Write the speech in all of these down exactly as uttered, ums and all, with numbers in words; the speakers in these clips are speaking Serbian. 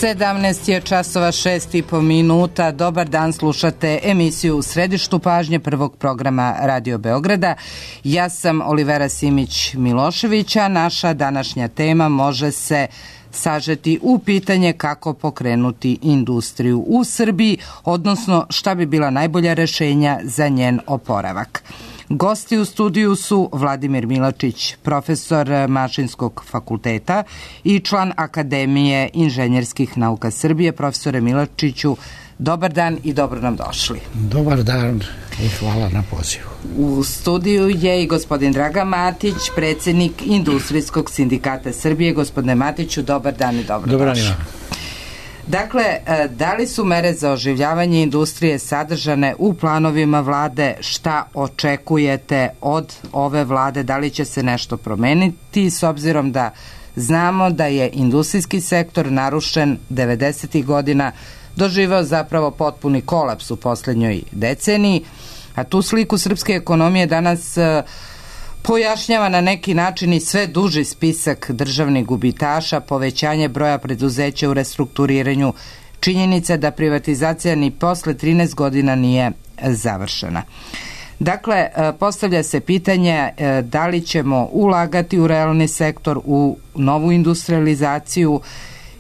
sedamnaest je časova šest i po minuta. Dobar dan, slušate emisiju U središtu pažnje prvog programa Radio Beograda. Ja sam Olivera Simić-Miloševića. Naša današnja tema može se sažeti u pitanje kako pokrenuti industriju u Srbiji, odnosno šta bi bila najbolja rešenja za njen oporavak. Gosti u studiju su Vladimir Milačić, profesor Mašinskog fakulteta i član Akademije inženjerskih nauka Srbije. Profesore Milačiću, dobar dan i dobro nam došli. Dobar dan i hvala na pozivu. U studiju je i gospodin Dragan Matić, predsjednik Industrijskog sindikata Srbije. Gospodine Matiću, dobar dan i dobro dobar došli. Dan. Dakle, da li su mere za oživljavanje industrije sadržane u planovima vlade? Šta očekujete od ove vlade? Da li će se nešto promeniti s obzirom da znamo da je industrijski sektor narušen devedesetih godina, doživeo zapravo potpuni kolaps u posljednjoj deceniji, a tu sliku srpske ekonomije danas pojašnjava na neki način i sve duži spisak državnih gubitaša, povećanje broja preduzeća u restrukturiranju, činjenica da privatizacija ni posle trinaest godina nije završena. Dakle, postavlja se pitanje da li ćemo ulagati u realni sektor, u novu industrializaciju,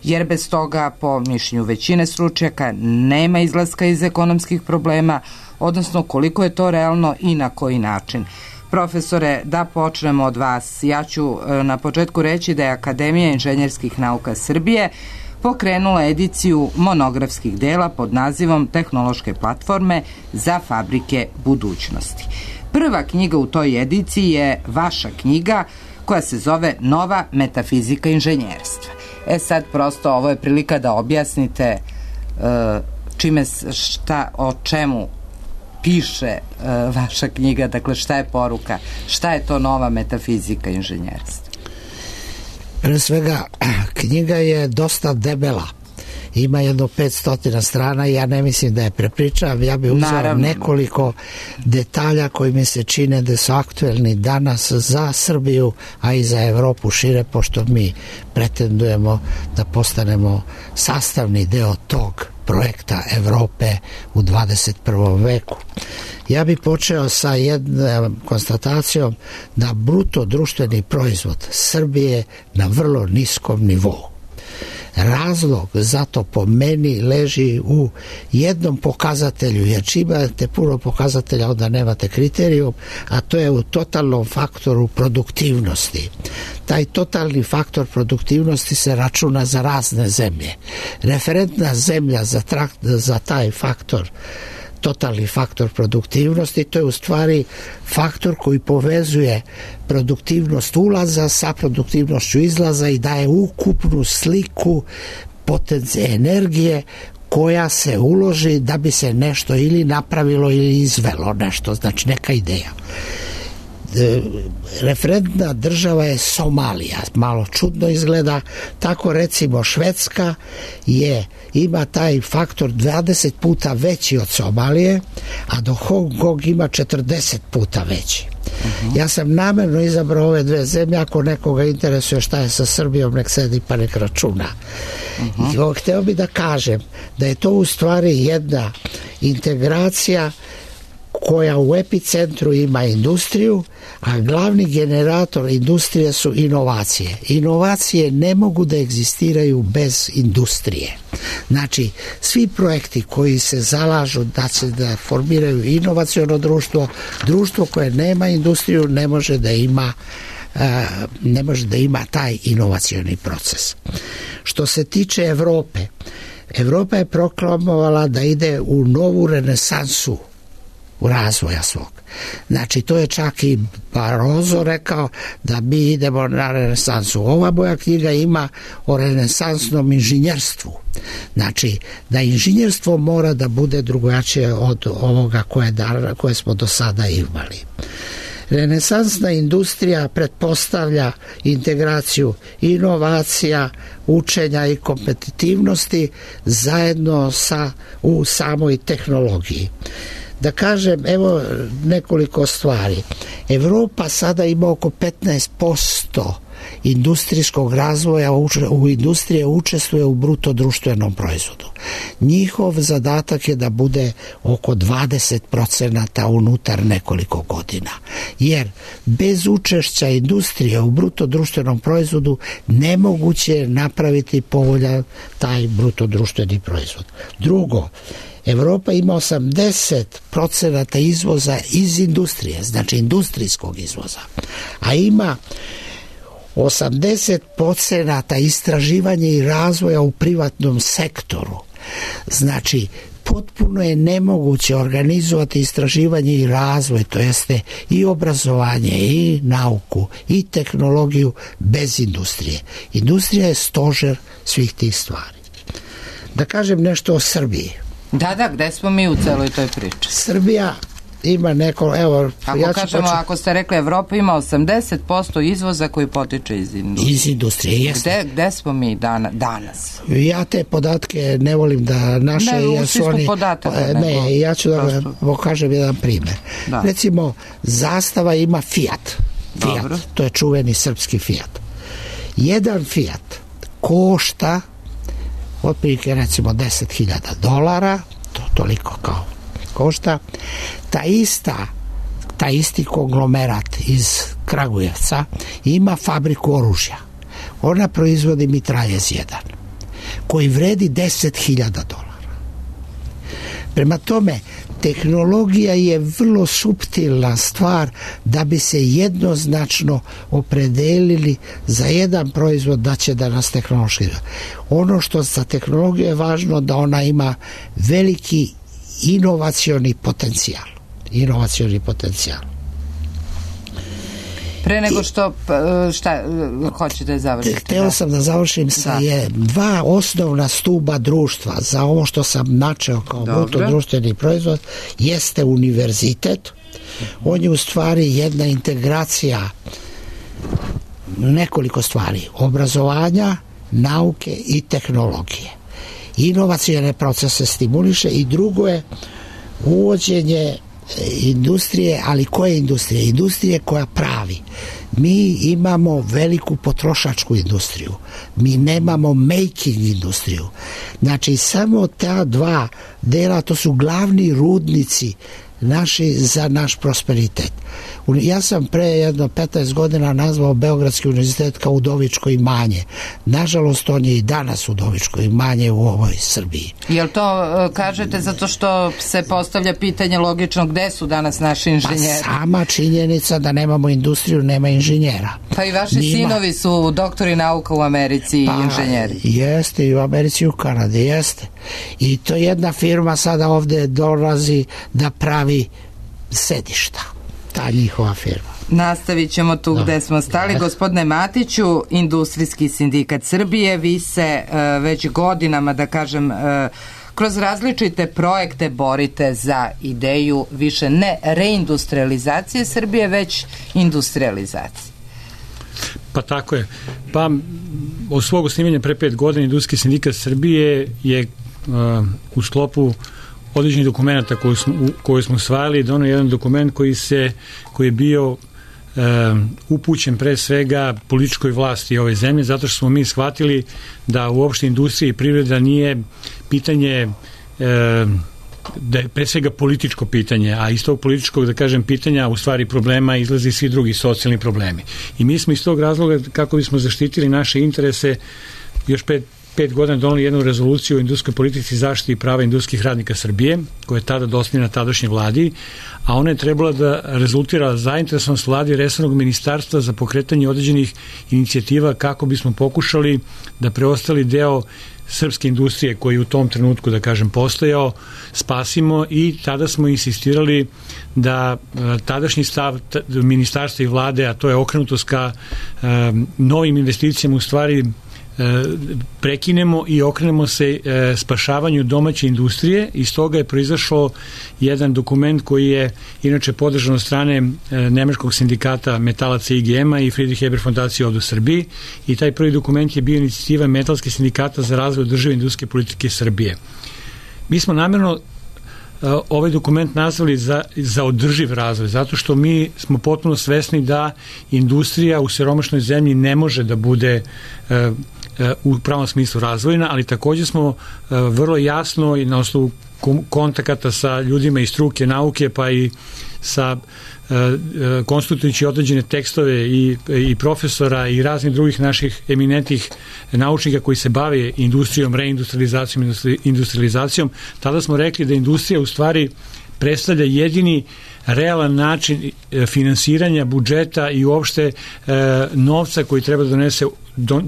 jer bez toga, po mišljenju većine stručnjaka, nema izlaska iz ekonomskih problema, odnosno koliko je to realno i na koji način. Profesore, da počnemo od vas. Ja ću na početku reći da je Akademija inženjerskih nauka Srbije pokrenula ediciju monografskih dela pod nazivom Tehnološke platforme za fabrike budućnosti. Prva knjiga u toj ediciji je vaša knjiga koja se zove Nova metafizika inženjerstva. E sad prosto ovo je prilika da objasnite uh, čime, šta, o čemu piše uh, vaša knjiga, dakle šta je poruka, šta je to nova metafizika inženjerstva? Pre svega, knjiga je dosta debela. Ima jedno petsto strana i ja ne mislim da je prepričavam. Ja bih uzeo Naravno. nekoliko detalja koji mi se čine da su aktuelni danas za Srbiju, a i za Evropu šire, pošto mi pretendujemo da postanemo sastavni deo tog projekta Evrope u dvadeset prvom veku. Ja bih počeo sa jednom konstatacijom da bruto društveni proizvod Srbije na vrlo niskom nivou. Razlog za to po meni leži u jednom pokazatelju, jer čim imate puno pokazatelja onda nemate kriterijum, a to je u totalnom faktoru produktivnosti. Taj totalni faktor produktivnosti se računa za razne zemlje. Referentna zemlja za, trak, za taj faktor, totalni faktor produktivnosti, to je u stvari faktor koji povezuje produktivnost ulaza sa produktivnošću izlaza i daje ukupnu sliku potencije energije koja se uloži da bi se nešto ili napravilo ili izvelo nešto, znači neka ideja. Referentna država je Somalija, malo čudno izgleda, tako recimo Švedska je, ima taj faktor dvadeset puta veći od Somalije, a do Hong Kong ima četrdeset puta veći. Uh-huh. Ja sam namerno izabrao ove dve zemlje, ako nekoga interesuje šta je sa Srbijom, nek sedi pa nek računa. Uh-huh. I hteo bi da kažem da je to u stvari jedna integracija koja u epicentru ima industriju, a glavni generator industrije su inovacije. Inovacije ne mogu da egzistiraju bez industrije. Znači, svi projekti koji se zalažu da se da formiraju inovaciono društvo, društvo koje nema industriju ne može da ima uh, ne može da ima taj inovacioni proces. Što se tiče Evrope, Evropa je proklamovala da ide u novu renesansu u razvoja svog. Znači, to je čak i Barroso rekao da mi idemo na renesansu. Ova moja knjiga ima o renesansnom inženjerstvu. Znači, da inženjerstvo mora da bude drugačije od ovoga koje, da, koje smo do sada imali. Renesansna industrija pretpostavlja integraciju inovacija, učenja i kompetitivnosti zajedno sa, u samoj tehnologiji. Da kažem, evo nekoliko stvari. Evropa sada ima oko petnaest posto industrijskog razvoja, u industrije učestvuje u bruto društvenom proizvodu. Njihov zadatak je da bude oko dvadeset procenata unutar nekoliko godina. Jer bez učešća industrije u bruto društvenom proizvodu nemoguće je napraviti povoljan taj bruto društveni proizvod. Drugo, Evropa ima osamdeset procenata izvoza iz industrije, znači industrijskog izvoza, a ima osamdeset procenata istraživanja i razvoja u privatnom sektoru. Znači, potpuno je nemoguće organizovati istraživanje i razvoj, to jeste i obrazovanje, i nauku, i tehnologiju bez industrije. Industrija je stožer svih tih stvari. Da kažem nešto o Srbiji. Da, da, gde smo mi u celoj toj priči? Srbija ima neko, evo... Ako ja kažemo, počet... ako ste rekli Evropa ima osamdeset posto izvoza koji potiče iz industrije. Iz industrije, jeste. Gde, gde smo mi dana, danas? Ja te podatke ne volim da naše... Ne, u smislu podataka. Ne, nego, ja ću da vam pokažem jedan primer. Da. Recimo, Zastava ima Fiat. Fiat, dobro. To je čuveni srpski Fiat. Jedan Fiat košta otprilike recimo deset hiljada dolara, to toliko kao košta. Ta ista, ta isti konglomerat iz Kragujevca ima fabriku oružja. Ona proizvodi mitraljez jedan, koji vredi deset hiljada dolara. Prema tome, tehnologija je vrlo suptilna stvar da bi se jednoznačno opredelili za jedan proizvod da će da nas tehnološki. Ono što za tehnologiju je važno da ona ima veliki inovacioni potencijal. Inovacioni potencijal. Pre nego što šta hoćete završiti? Hteo da. sam da završim sa da. je dva osnovna stuba društva za ovo što sam načeo kao bruto društveni proizvod jeste univerzitet. On je u stvari jedna integracija nekoliko stvari. Obrazovanja, nauke i tehnologije. Inovacione procese stimuliše i drugo je uvođenje industrije, ali koje industrije? Industrije koja pravi. Mi imamo veliku potrošačku industriju. Mi nemamo making industriju. Znači, samo ta dva dela, to su glavni rudnici naši za naš prosperitet. Ja sam pre jedno petnaest godina nazvao Beogradski univerzitet kao Udovičko imanje. Nažalost, on je i danas Udovičko imanje u ovoj Srbiji. Jel to kažete zato što se postavlja pitanje logično gde su danas naši inženjeri? Pa sama činjenica da nemamo industriju, nema inženjera. Pa i vaši Nima... sinovi su doktori nauka u Americi pa, i inženjeri. Jeste, i u Americi i u Kanadi, jeste. I to jedna firma sada ovde dolazi da pravi sedišta. Ta njihova firma. Nastavit ćemo tu no. gde smo stali. Gospodine Matiću, Industrijski sindikat Srbije, vi se uh, već godinama, da kažem, uh, kroz različite projekte borite za ideju više ne reindustrializacije Srbije, već industrializacije. Pa tako je. Pa od svog osnivanja pre pet godina Industrijski sindikat Srbije je uh, u sklopu određenih dokumenta koji smo, koji smo usvajali, donio jedan dokument koji se koji je bio e, upućen pre svega političkoj vlasti ove zemlje, zato što smo mi shvatili da uopšte industrija i privreda nije pitanje e, da je pre svega političko pitanje, a iz tog političkog, da kažem, pitanja u stvari problema izlazi svi drugi socijalni problemi. I mi smo iz tog razloga, kako bismo zaštitili naše interese, još pet pet godina doneli jednu rezoluciju o industrijskoj politici zaštiti prava industrijskih radnika Srbije, koja je tada dostavljena tadašnjoj vladi, a ona je trebala da rezultira zainteresovanost vladi resornog ministarstva za pokretanje određenih inicijativa kako bismo pokušali da preostali deo srpske industrije koji u tom trenutku, da kažem, postojao, spasimo, i tada smo insistirali da tadašnji stav ministarstva i vlade, a to je okrenutost ka novim investicijama, u stvari prekinemo i okrenemo se spašavanju domaće industrije. Iz toga je proizašao jedan dokument koji je inače podržan od strane nemačkog sindikata metalaca I G M-a i Friedrich Ebert fondacije ovde u Srbiji, i taj prvi dokument je bio inicijativa metalskih sindikata za razvoj održive industrijske politike Srbije. Mi smo namjerno ovaj dokument nazvali za, za održiv razvoj, zato što mi smo potpuno svesni da industrija u siromašnoj zemlji ne može da bude u pravom smislu razvojna, ali također smo vrlo jasno i na osnovu kontakata sa ljudima iz struke, nauke, pa i sa konsultujući određene tekstove i, i profesora i raznih drugih naših eminentnih naučnika koji se bave industrijom, reindustrializacijom, industrializacijom, tada smo rekli da industrija u stvari predstavlja jedini realan način finansiranja budžeta i uopšte e, novca koji treba da donese do,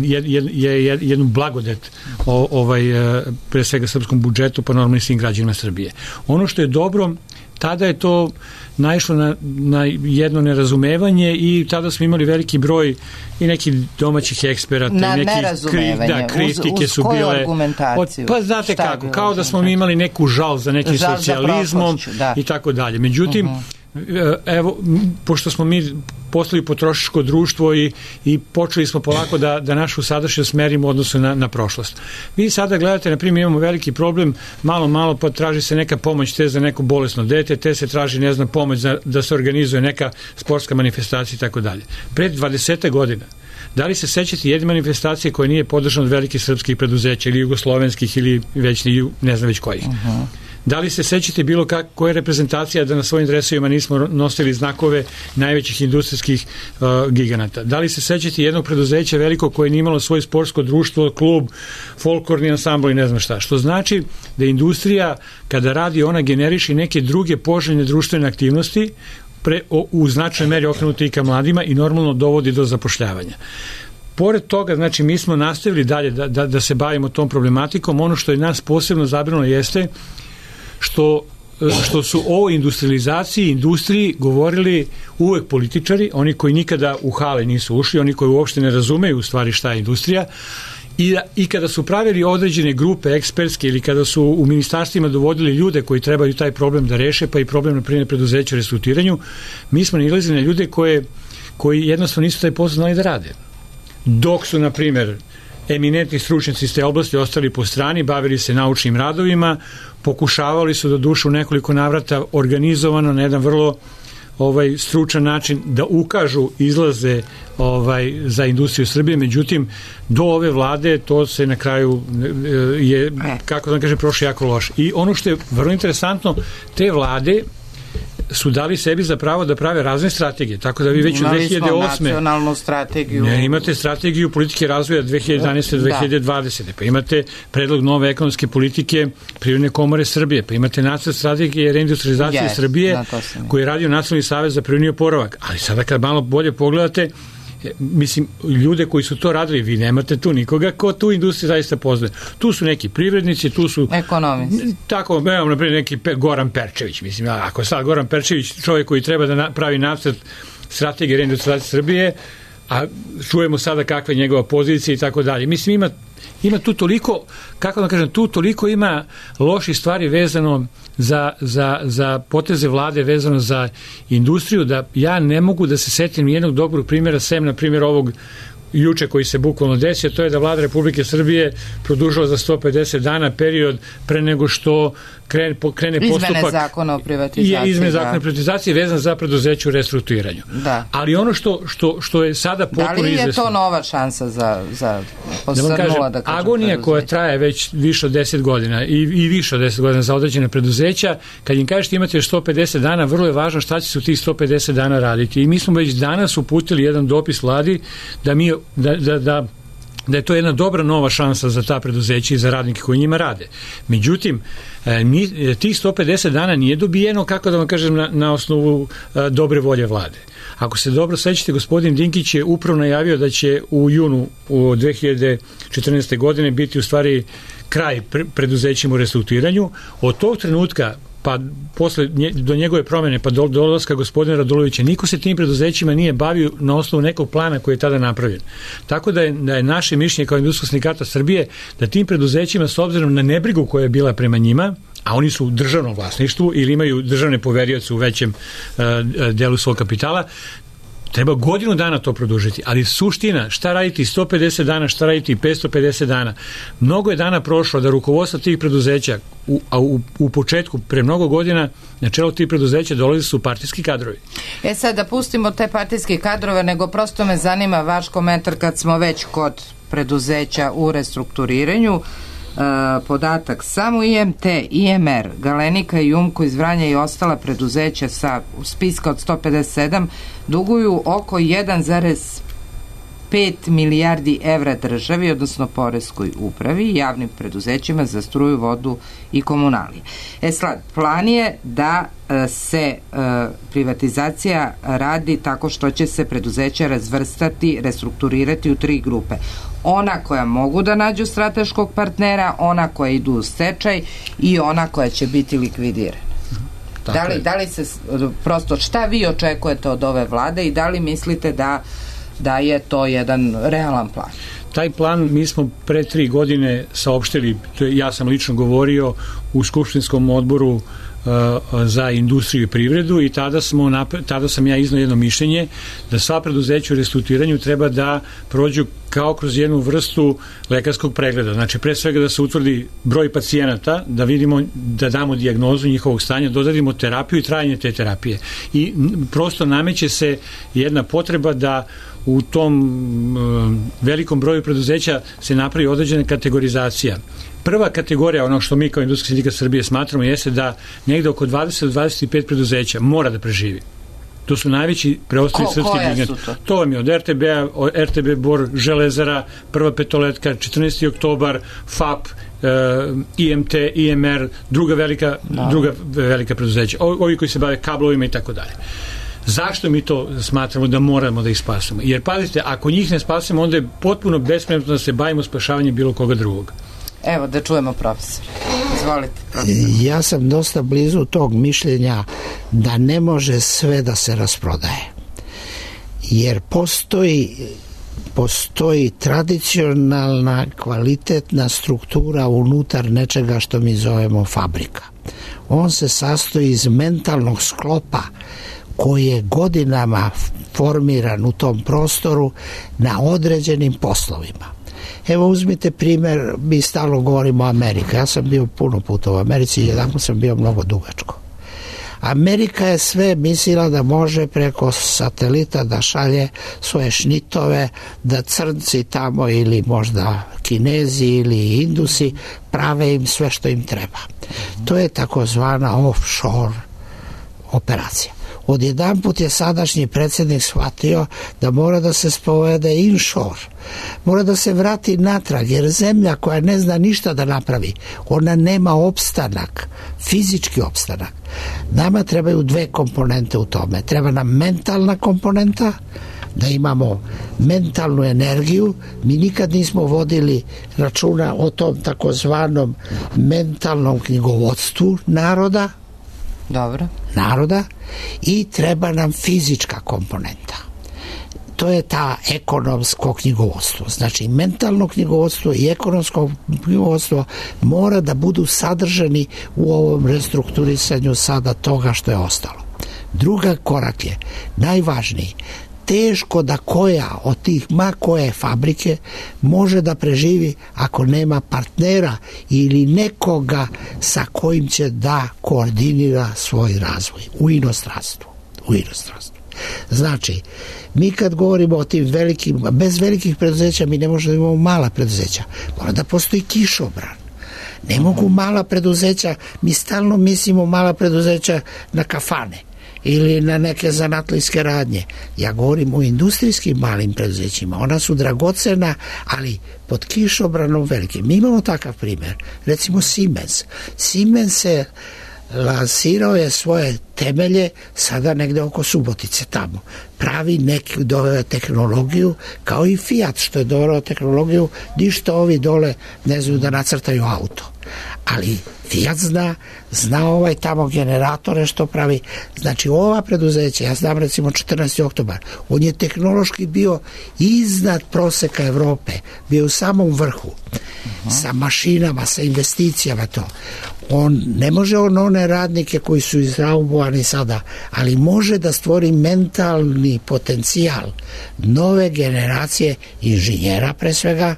je, je, je, jednu blagodet o, ovaj, e, pre svega srpskom budžetu, pa normalno i svim građanima Srbije. Ono što je dobro, tada je to naišlo na, na jedno nerazumevanje i tada smo imali veliki broj i nekih domaćih eksperata. Na i neki nerazumevanje. Da, kritike uz, uz su koju bile. argumentaciju? Od, pa znate kako, kao da smo mi imali neku žal za nekim žal socijalizmom za da. i tako dalje. Međutim, uh-huh. evo, pošto smo mi postali potrošačko društvo i, i počeli smo polako da, da našu sadašnjost merimo u odnosu na, na prošlost. Vi sada gledate, na primjer, imamo veliki problem, malo, malo pa traži se neka pomoć te za neko bolesno dete, te se traži, ne znam, pomoć za, da se organizuje neka sportska manifestacija i tako dalje. Pred dvadeset godina, da li se sećate jedne manifestacije koja nije podržana od velikih srpskih preduzeća ili jugoslovenskih ili već ne znam već kojih? Uh-huh. Da li se sećate bilo kak, koja je reprezentacija da na svojim dresovima nismo nosili znakove najvećih industrijskih uh, giganata? Da li se sećate jednog preduzeća veliko koje nije imalo svoje sportsko društvo, klub, folklorni ansambl i ne znam šta? Što znači da industrija kada radi, ona generiše neke druge poželjne društvene aktivnosti pre, o, u značajnoj meri okrenuti i ka mladima i normalno dovodi do zapošljavanja. Pored toga, znači, mi smo nastavili dalje da, da, da se bavimo tom problematikom. Ono što je nas posebno zabrinulo jeste što, što su o industrializaciji, industriji govorili uvek političari, oni koji nikada u hale nisu ušli, oni koji uopšte ne razumeju u stvari šta je industrija, i, i kada su pravili određene grupe ekspertske ili kada su u ministarstvima dovodili ljude koji trebaju taj problem da reše, pa i problem na primjer preduzeća u restrukturiranju, mi smo nalazili na ljude koje, koji jednostavno nisu taj posao znali da rade. Dok su, na primjer, eminentni stručnjaci iz te oblasti ostali po strani, bavili se naučnim radovima, pokušavali su do duše u nekoliko navrata organizovano na jedan vrlo ovaj stručan način da ukažu izlaze ovaj za industriju Srbije, međutim do ove vlade to se na kraju je, kako da kažem, prošlo jako loše. I ono što je vrlo interesantno, te vlade su dali sebi za pravo da prave razne strategije, tako da vi već u dve hiljade osme nacionalnu strategiju. Ne, imate strategiju politike razvoja dve hiljade jedanaeste do dve hiljade dvadesete. Pa imate predlog nove ekonomske politike Privredne komore Srbije, pa imate nacrt strategije reindustrializacije yes, Srbije koji je radio Nacionalni savez za privredni oporavak. Ali sada kad malo bolje pogledate, mislim, ljude koji su to radili, vi nemate tu nikoga ko tu industriju zaista poznaje. Tu su neki privrednici, tu su ekonomisti. Tako, evo, naprijed neki Pe, Goran Perčević, mislim, ako sad Goran Perčević, čovjek koji treba da pravi nacrt strategije reindustrializacije Srbije, a čujemo sada kakva je njegova pozicija i tako dalje. Mislim, ima ima tu toliko, kako da kažem, tu toliko ima loših stvari vezano za, za, za poteze vlade, vezano za industriju, da ja ne mogu da se setim jednog dobrog primjera, sem na primjer ovog juče koji se bukvalno desio, to je da vlada Republike Srbije produžila za sto pedeset dana period pre nego što krene, krene postupak izmene zakona o privatizaciji, izmene zakona o privatizaciji vezan za preduzeće u restrukturiranju. Da. Ali ono što, što, što je sada potpuno izvesno. Da li je izvesno, to nova šansa za, za posrnula, da, kažem, da kažem, agonija preduzeća koja traje već više od deset godina i, i više od deset godina za određene preduzeća, kad im kažete imate sto pedeset dana, vrlo je važno šta će se u tih sto pedeset dana raditi. I mi smo već danas uputili jedan dopis vladi da mi Da, da, da, da je to jedna dobra nova šansa za ta preduzeća i za radnike koji njima rade. Međutim, mi, tih sto pedeset dana nije dobijeno, kako da vam kažem, na, na osnovu a, dobre volje vlade. Ako se dobro sećate, gospodin Dinkić je upravo najavio da će u junu u dve hiljade četrnaeste. godine biti u stvari kraj pre, preduzećima u restrukturiranju. Od tog trenutka pa posle nje, do njegove promjene, pa do dolaska gospodina Radulovića, niko se tim preduzećima nije bavio na osnovu nekog plana koji je tada napravljen. Tako da je, da je naše mišljenje kao Industrijskog sindikata Srbije da tim preduzećima, s obzirom na nebrigu koja je bila prema njima, a oni su u državnom vlasništvu ili imaju državne poverioce u većem uh, delu svog kapitala, Treba godinu dana to produžiti, ali suština, šta raditi sto pedeset dana, šta raditi petsto pedeset dana. Mnogo je dana prošlo da rukovodstvo tih preduzeća, u, a u, u početku, pre mnogo godina, na čelo tih preduzeća dolazi su partijski kadrovi. E sad, da pustimo te partijske kadrove, nego prosto me zanima vaš komentar kad smo već kod preduzeća u restrukturiranju. Uh, podatak, samo I M T, I M R, Galenika i Jumko iz Vranja i ostala preduzeća sa spiska od sto pedeset sedam duguju oko jedan zarez pet milijardi evra državi, odnosno poreskoj upravi i javnim preduzećima za struju, vodu i komunalije. E sad, plan je da se uh, privatizacija radi tako što će se preduzeća razvrstati, restrukturirati u tri grupe. Ona koja mogu da nađu strateškog partnera, ona koja idu u stečaj i ona koja će biti likvidirana. Da li, da li se, prosto, šta vi očekujete od ove vlade i da li mislite da, da je to jedan realan plan? Taj plan mi smo pre tri godine saopštili, ja sam lično govorio u skupštinskom odboru za industriju i privredu i tada, smo, tada sam ja iznao jedno mišljenje da sva preduzeća u restrukturiranju treba da prođu kao kroz jednu vrstu lekarskog pregleda. Znači, pre svega da se utvrdi broj pacijenata, da vidimo, da damo dijagnozu njihovog stanja, dodadimo terapiju i trajanje te terapije. I prosto nameće se jedna potreba da u tom uh, velikom broju preduzeća se napravi određena kategorizacija. Prva kategorija, ono što mi kao Industrijski sindikat Srbije smatramo, jeste da negde oko dvadeset do dvadeset pet preduzeća mora da preživi. To su najveći preostali srpski gigant. To? to vam je od R T B-a, R T B Bor, Železara, Prva petoletka, četrnaesti oktobar, F A P, uh, I M T, I M R, druga velika, no. druga velika preduzeća. O, ovi koji se bave kablovima i tako dalje. Zašto mi to smatramo da moramo da ih spasimo? Jer, pazite, ako njih ne spasimo, onda je potpuno bespredmetno da se bavimo spašavanjem bilo koga drugog. Evo, da čujemo profesor. Izvolite, profesor. Ja sam dosta blizu tog mišljenja da ne može sve da se rasprodaje. Jer postoji postoji tradicionalna, kvalitetna struktura unutar nečega što mi zovemo fabrika. On se sastoji iz mentalnog sklopa koji je godinama formiran u tom prostoru na određenim poslovima. Evo, uzmite primjer, mi stalno govorimo o Amerika. Ja sam bio puno puta u Americi i jedan sam bio mnogo dugačko. Amerika je sve mislila da može preko satelita da šalje svoje šnitove, da crnci tamo ili možda Kinezi ili Indusi prave im sve što im treba. To je takozvana offshore operacija. Odjedan put je sadašnji predsjednik shvatio da mora da se spovede inshore. Mora da se vrati natrag, jer zemlja koja ne zna ništa da napravi, ona nema opstanak, fizički opstanak. Nama trebaju dve komponente u tome. Treba nam mentalna komponenta, da imamo mentalnu energiju. Mi nikad nismo vodili računa o tom takozvanom mentalnom knjigovodstvu naroda, Dobro. naroda i treba nam fizička komponenta. To je ta ekonomsko knjigovodstvo. Znači, mentalno knjigovodstvo i ekonomsko knjigovodstvo mora da budu sadržani u ovom restrukturisanju sada toga što je ostalo. Druga korak je, najvažniji, teško da koja od tih ma koje fabrike može da preživi ako nema partnera ili nekoga sa kojim će da koordinira svoj razvoj u inostranstvu. U inostranstvu. Znači, mi kad govorimo o tim velikim, bez velikih preduzeća mi ne možemo da imamo mala preduzeća. Mora da postoji kišobran. Ne mogu mala preduzeća, mi stalno mislimo mala preduzeća na kafane ili na neke zanatlijske radnje. Ja govorim o industrijskim malim preduzećima. Ona su dragocena, ali pod kišobranom velikim. Mi imamo takav primjer. Recimo Siemens. Siemens se lansirao je svoje temelje sada negde oko Subotice tamo. Pravi neki doveo tehnologiju, kao i Fiat što je doveo tehnologiju, ništa ovi dole ne znaju da nacrtaju auto. ali Fiat zna, zna ovaj tamo generatore što pravi. Znači ova preduzeća, ja znam recimo četrnaesti oktobar, on je tehnološki bio iznad proseka Evrope, bio u samom vrhu, uh-huh. sa mašinama, sa investicijama to. On ne može on one radnike koji su izraubovani sada, ali može da stvori mentalni potencijal nove generacije inženjera pre svega.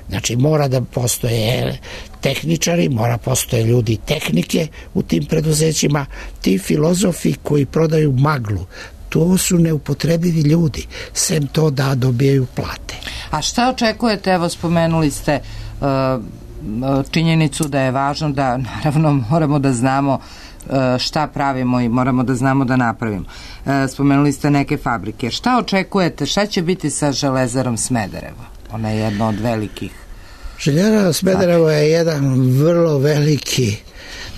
Znači mora da postoje tehničari, mora postoje ljudi tehnike u tim preduzećima, ti filozofi koji prodaju maglu, to su neupotrebivi ljudi, sem to da dobijaju plate. A šta očekujete, evo spomenuli ste uh, činjenicu da je važno da naravno moramo da znamo šta pravimo i moramo da znamo da napravimo. Spomenuli ste neke fabrike. Šta očekujete, šta će biti sa Železarom Smederevo? Ona je jedna od velikih. Željezara Smederevo je jedan vrlo veliki,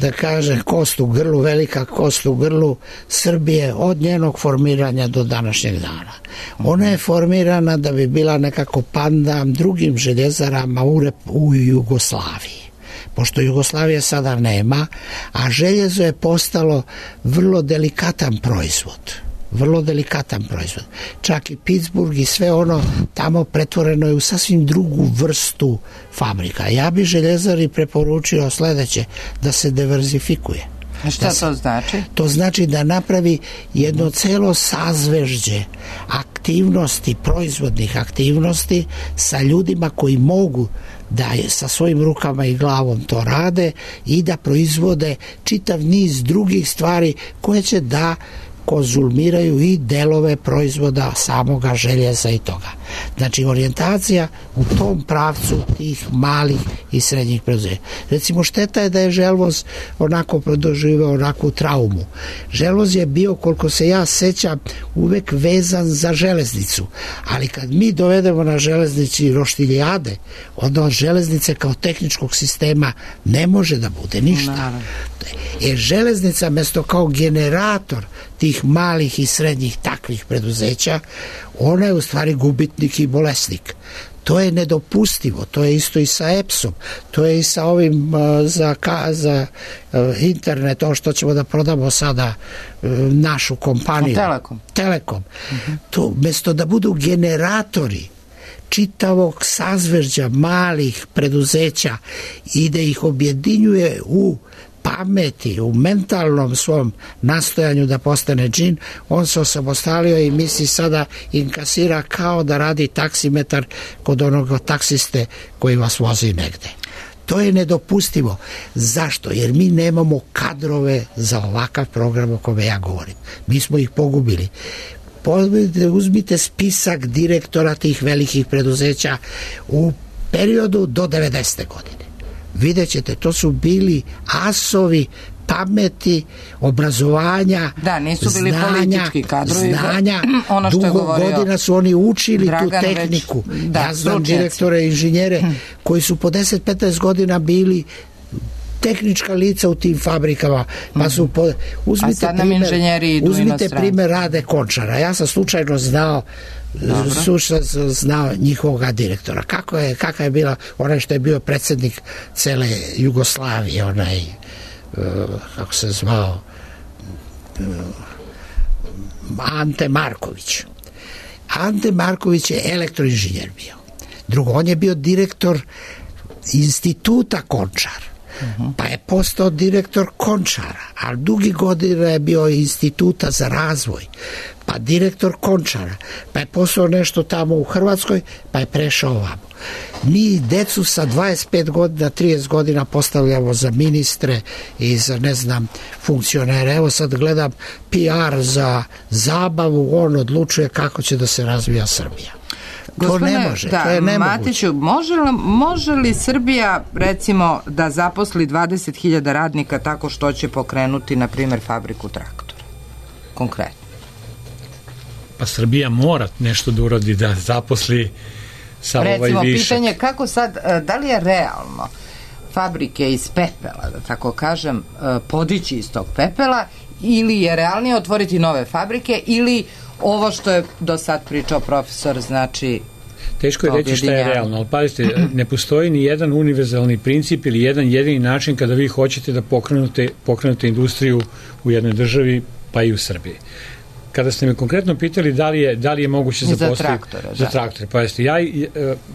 da kažem, kost u grlu, velika kost u grlu Srbije od njenog formiranja do današnjeg dana. Ona je formirana da bi bila nekako pandan drugim željezarama u, u Jugoslaviji. Pošto Jugoslavije sada nema, a željezo je postalo vrlo delikatan proizvod. Vrlo delikatan proizvod. Čak i Pittsburgh i sve ono tamo pretvoreno je u sasvim drugu vrstu fabrika. Ja bi Željezari preporučio sledeće, da se diverzifikuje. A šta to znači? To znači da napravi jedno celo sazvežđe aktivnosti, proizvodnih aktivnosti sa ljudima koji mogu da sa svojim rukama i glavom to rade i da proizvode čitav niz drugih stvari koje će da konzumiraju i delove proizvoda samoga željeza i toga. Znači orijentacija u tom pravcu tih malih i srednjih preduzeća. Recimo šteta je da je Želvoz onako doživeo onakvu traumu. Želvoz je bio, koliko se ja sećam, uvek vezan za železnicu, ali kad mi dovedemo na železnici roštiljade, onda od železnice kao tehničkog sistema ne može da bude ništa. Jer železnica mesto kao generator tih malih i srednjih takvih preduzeća, ona je u stvari gubitnik i bolesnik. To je nedopustivo, to je isto i sa E P S-om, to je i sa ovim uh, za, ka, za uh, internet, to što ćemo da prodamo sada uh, našu kompaniju. Telekom. Telekom. Uh-huh. To, mesto da budu generatori čitavog sazvežđa malih preduzeća i da ih objedinjuje u pameti, u mentalnom svom nastojanju da postane džin, on se osamostalio i misli sada inkasira kao da radi taksimetar kod onog taksiste koji vas vozi negde. To je nedopustivo. Zašto? Jer mi nemamo kadrove za ovakav program o kome ja govorim. Mi smo ih pogubili. Uzmite spisak direktora tih velikih preduzeća u periodu do devedesete godine. Vidjet ćete, to su bili asovi pameti, obrazovanja, da, nisu bili znanja, politički kadrovi, znanja, ono što dugo godina su oni učili Dragan tu tehniku. Već, da, ja znam stručnjaci. Direktore, inženjere koji su po deset do petnaest godina bili tehnička lica u tim fabrikama, pa su po, uzmite primer, uzmite primer Rade Končara. Ja sam slučajno znao slučajno znao njihovog direktora. Kako je, kakav je bila onaj što je bio predsjednik cele Jugoslavije, onaj uh, kako se zvao uh, Ante Marković. Ante Marković je elektroinženjer bio. Drugo, on je bio direktor instituta Končar. Uh-huh. Pa je postao direktor Končara, a dugi godina je bio instituta za razvoj, pa direktor Končara, pa je postao nešto tamo u Hrvatskoj, pa je prešao ovamo. Mi decu sa dvadeset pet godina, trideset godina postavljamo za ministre i za, ne znam, funkcionere. Evo sad gledam P R za zabavu, on odlučuje kako će da se razvija Srbija. Gospodine, to ne može, da, to je nemoguće. Matiću, može li, može li Srbija recimo da zaposli dvadeset hiljada radnika tako što će pokrenuti na primjer fabriku traktora? Konkretno. Pa Srbija mora nešto da uradi da zaposli sa ovaj višak. Recimo, pitanje kako sad, da li je realno fabrike iz pepela, da tako kažem, podići iz tog pepela, ili je realnije otvoriti nove fabrike, ili ovo što je do sad pričao profesor, znači teško je reći šta je realno, ali pazite, ne postoji ni jedan univerzalni princip ili jedan jedini način kada vi hoćete da pokrenute, pokrenute industriju u jednoj državi, pa i u Srbiji. Kada ste me konkretno pitali da li je, da li je moguće zaposliti za traktore, za da. traktore, pa jeste, ja e,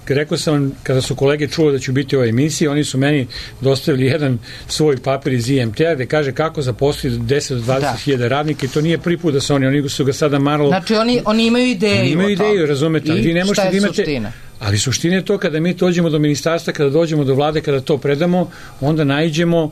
rekao sam vam, kada su kolege čuli da ću biti u ovoj emisiji, oni su meni dostavili jedan svoj papir iz I M T-a gde kaže kako zaposliti deset do dvadeset hiljada radnika i to nije prvi put da se oni, oni su ga sada malo... Znači oni, oni imaju ideju. Oni imaju ideju, razumete, ali vi ne možete da imate... Suština? Ali suština je to kada mi dođemo do ministarstva, kada dođemo do vlade, kada to predamo, onda naiđemo,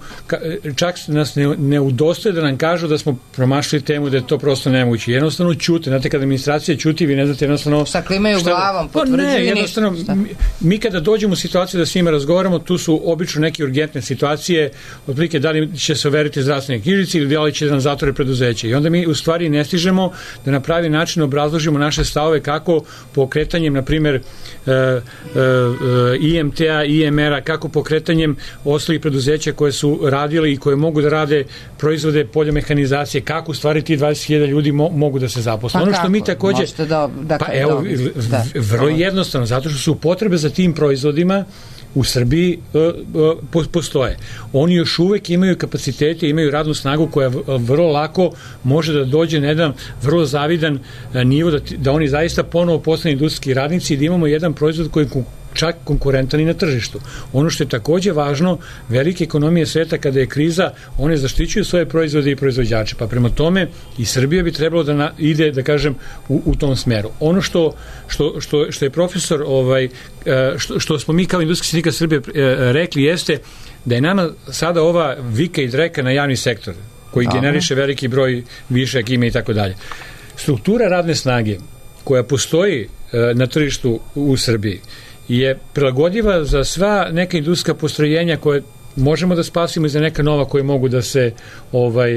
čak nas ne, ne udostoje da nam kažu da smo promašili temu, da je to prosto nemoguće. Jednostavno ćute, znate, kada administracija ćuti, vi ne znate jednostavno... Šta klimaju šta, glavom, potvrđuju ne, jednostavno, mi, mi kada dođemo u situaciju da s njima razgovaramo, tu su obično neke urgentne situacije, otprilike da li će se overiti zdravstvene knjižice ili da li će da nam zatvore preduzeće. I onda mi u stvari ne stižemo da na pravi način obrazložimo naše stavove kako pokretanjem, na primjer, I M T-a, I M R-a, kako pokretanjem ostalih preduzeća koje su radili i koje mogu da rade proizvode poljomehanizacije, kako u stvari ti dvadeset hiljada ljudi mo, mogu da se zaposle. Pa ono kako? Što mi takođe... Da, da, pa evo, da, vrlo da. jednostavno, zato što su potrebe za tim proizvodima u Srbiji uh, uh, postoje. Oni još uvek imaju kapacitete, imaju radnu snagu koja vrlo lako može da dođe na jedan vrlo zavidan uh, nivo, da, da oni zaista ponovo postanu industrijski radnici i da imamo jedan proizvod koji čak konkurentan i na tržištu. Ono što je takođe važno, velike ekonomije sveta kada je kriza, one zaštićuju svoje proizvode i proizvođače, pa prema tome i Srbija bi trebalo da na, ide, da kažem, u, u tom smeru. Ono što, što, što, što je profesor, ovaj, što, što smo mi kao Industrijski sindikat Srbije rekli jeste da je nama sada ova vika i dreka na javni sektor, koji Aha. generiše veliki broj višak ime i tako dalje. Struktura radne snage koja postoji na tržištu u Srbiji je prilagodiva za sva neka industrijska postrojenja koje možemo da spasimo i za neka nova koje mogu da se ovaj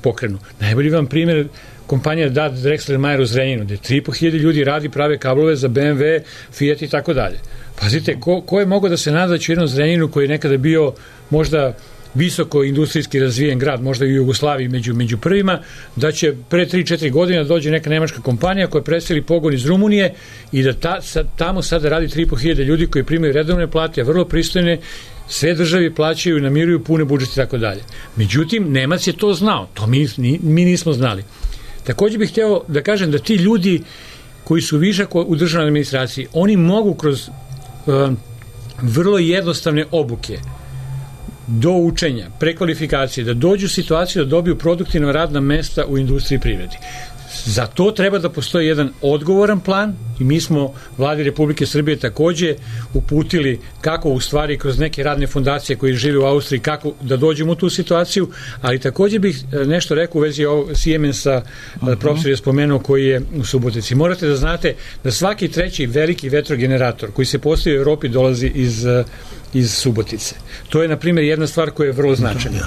pokrenu. Najbolji vam primjer kompanija D A D Drexler Mayer u Zrenjaninu, gde tri i po hiljade ljudi radi, prave kablove za B M W, Fiat i tako dalje. Pazite, ko, ko je mogao da se nada da će u jednom Zrenjaninu koji je nekada bio možda visoko industrijski razvijen grad, možda i u Jugoslaviji među, među prvima, da će pre tri četiri godina dođe neka nemačka kompanija koja preseli pogon iz Rumunije i da ta, sad, tamo sada radi tri i po hiljade ljudi koji primaju redovne plate, a vrlo pristojne, sve državi plaćaju, namiruju pune budžete i tako dalje. Međutim, Nemac je to znao, to mi, mi nismo znali. Takođe bih hteo da kažem da ti ljudi koji su višak u državnoj administraciji, oni mogu kroz um, vrlo jednostavne obuke do učenja, prekvalifikacije, da dođu u situaciju da dobiju produktivna radna mesta u industriji i privredi. Za to treba da postoji jedan odgovoran plan i mi smo vladi Republike Srbije takođe uputili kako u stvari kroz neke radne fondacije koji žive u Austriji, kako da dođemo u tu situaciju, ali takođe bih nešto rekao u vezi ovog Siemensa, uh-huh. profesor je spomenuo koji je u Subotici. Morate da znate da svaki treći veliki vetrogenerator koji se postavi u Evropi dolazi iz iz Subotice. To je, na primjer, jedna stvar koja je vrlo značajna.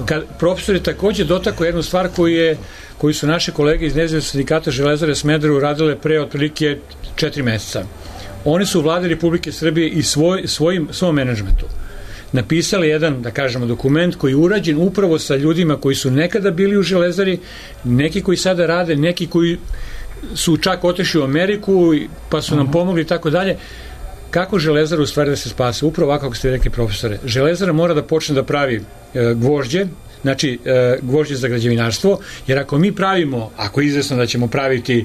Kad profesor je takođe dotakao jednu stvar koju, je, koju su naše kolege iz Nezavisnog sindikata Železare Smederevo radile pre otprilike četiri meseca. Oni su u vladi Republike Srbije i svoj, svojim, svom menadžmentu napisali jedan, da kažemo, dokument koji je urađen upravo sa ljudima koji su nekada bili u Železari, neki koji sada rade, neki koji su čak otišli u Ameriku pa su nam pomogli i tako dalje. Kako Železara u stvari da se spase? Upravo ovako kako ste rekli, profesore. Železara mora da počne da pravi e, gvožđe, znači e, gvožđe za građevinarstvo, jer ako mi pravimo, ako je izvesno da ćemo praviti e,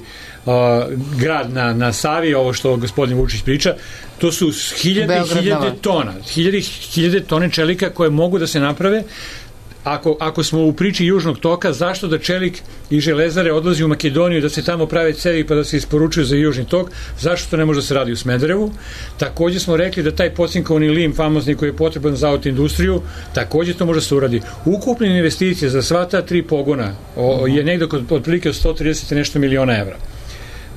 grad na, na Savi, ovo što gospodin Vučić priča, to su hiljade i hiljade tona, hiljade, hiljade tone čelika koje mogu da se naprave. Ako, ako smo u priči Južnog toka, zašto da čelik i Železare odlazi u Makedoniju da se tamo prave cevi pa da se isporučuju za Južni tok, zašto to ne može da se radi u Smederevu? Takođe smo rekli da taj pocinkovani lim famozni koji je potreban za autoindustriju, takođe to može da se uradi. Ukupne investicije za sva ta tri pogona o, je negdje od otprilike sto trideset nešto miliona evra.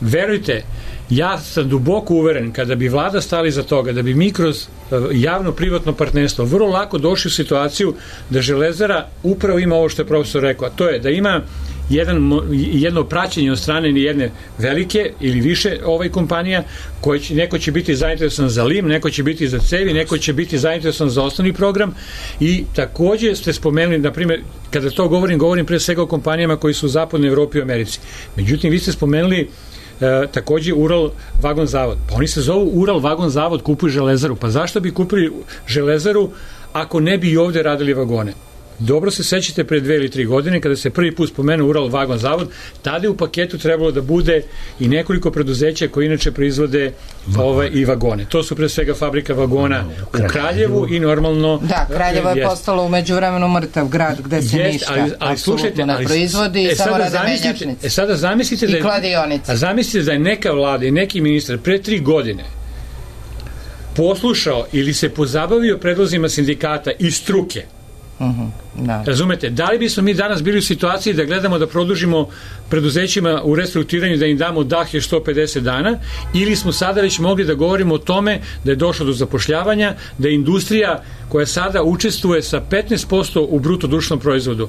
Verujte, ja sam duboko uveren kada bi vlada stali za toga, da bi mi kroz javno-privatno partnerstvo vrlo lako došli u situaciju da Železara upravo ima ovo što je profesor rekao, a to je da ima jedan, jedno praćenje od strane jedne velike ili više ovaj kompanija, koji će, neko će biti zainteresovan za lim, neko će biti za cevi, neko će biti zainteresovan za osnovni program i takođe ste spomenuli, na primjer, kada to govorim, govorim pre svega o kompanijama koji su u zapadnoj Evropi i Americi. Međutim, vi ste spomenuli e, takođe Ural vagon zavod. Pa oni se zovu Ural vagon zavod, kupuju železaru. Pa zašto bi kupili železaru ako ne bi i ovde radili vagone? Dobro se sećate pre dve ili tri godine kada se prvi put spomenuo Ural vagon zavod, tada je u paketu trebalo da bude i nekoliko preduzeća koji inače proizvode ove i vagone. To su pre svega fabrika vagona u Kraljevu i normalno... Da, Kraljevo je jest. postalo u međuvremenu mrtav grad gde se jest, ništa ali, ali, slušajte, ne proizvodi i e, samo rade menjačnice. E sada zamislite da, je, a zamislite da je neka vlada i neki ministar pre tri godine poslušao ili se pozabavio predlozima sindikata i struke. Uh-huh, da. Razumete, da li bismo mi danas bili u situaciji da gledamo da produžimo preduzećima u restrukturiranju, da im damo dah još sto pedeset dana, ili smo sada već mogli da govorimo o tome da je došlo do zapošljavanja, da je industrija koja sada učestvuje sa petnaest posto u bruto društvenom proizvodu,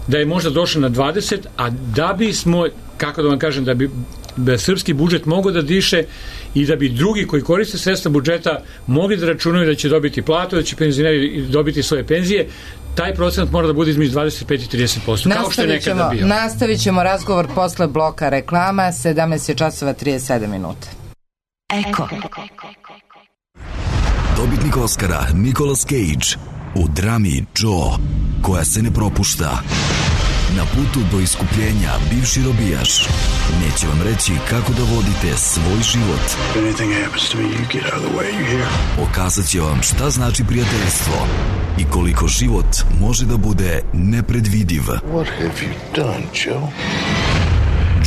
da je možda došla na dvadeset, a da bismo, kako da vam kažem, da bi da srpski budžet mogao da diše i da bi drugi koji koriste sredstva budžeta mogli da računaju da će dobiti platu, da će penzioneri dobiti svoje penzije, taj procenat mora da bude između dvadeset pet i trideset posto, kao što je nekada bio. Nastavit ćemo razgovor posle bloka reklama, sedamnaest časova trideset sedam minuta. Eko. Dobitnik Oscara Nicolas Cage u drami Joe, koja se ne propušta. Na putu do iskupljenja bivši robijaš neće vam reći kako da vodite svoj život. Pokazat će vam šta znači prijateljstvo i koliko život može da bude nepredvidiv. What have you done, Joe?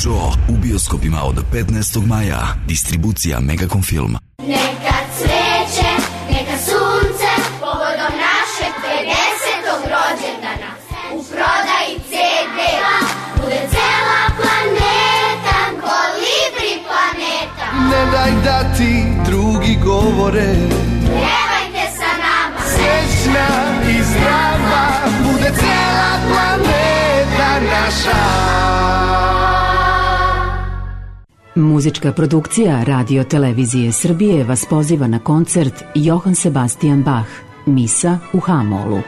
Joe u bioskopima od petnaestog maja. Distribucija Megacom Film. Neka cveće, neka sunce, povodom našeg pedesetog rođendana. U prodaji ce de bude cela planeta, kolibri planeta. Ne daj da ti drugi govore, pjevajte sa nama, srećna i zdrava, bude cela planeta naša. Muzička produkcija Radio Televizije Srbije vas poziva na koncert Johann Sebastian Bach, Misa u Ha-molu.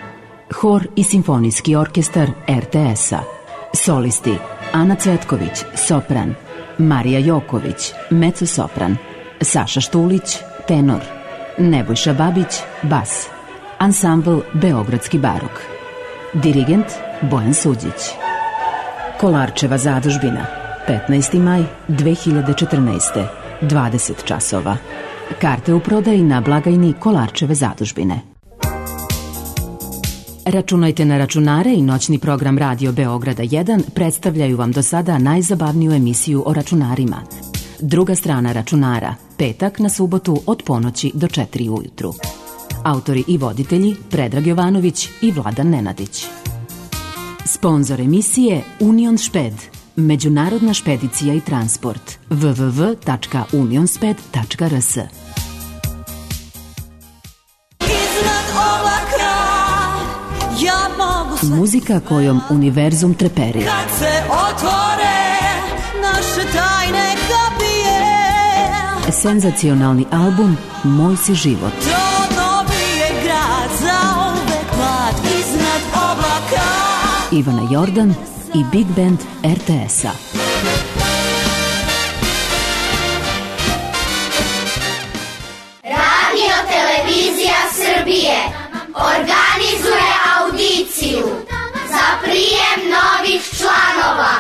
Hor i simfonijski orkestar er te es-a. Solisti Ana Cvetković, sopran, Marija Joković, mezzo-sopran, Saša Štulić, tenor, Nebojša Babić, bas. Ansambl Beogradski barok. Dirigent Bojan Suđić. Kolarčeva zadužbina, petnaesti maj dve hiljade četrnaeste, dvadeset časova. Karte u prodaji na blagajni Kolarčeve zadužbine. Računajte na računare i noćni program Radio Beograda jedan predstavljaju vam do sada najzabavniju emisiju o računarima. Druga strana računara, petak na subotu od ponoći do četiri ujutru. Autori i voditelji Predrag Jovanović i Vladan Nenadić. Sponzor emisije Union Šped, međunarodna špedicija i transport. w w w tačka unionsped tačka r s. Muzika kojom univerzum treperi. Kad se otvore naše tajne kapije. Senzacionalni album Moj si život. To dobije grad za uvek mlad iznad oblaka. Ivana Jordan i Big Band er te es-a. Radio Televizija Srbije organizuje audiciju za prijem novih članova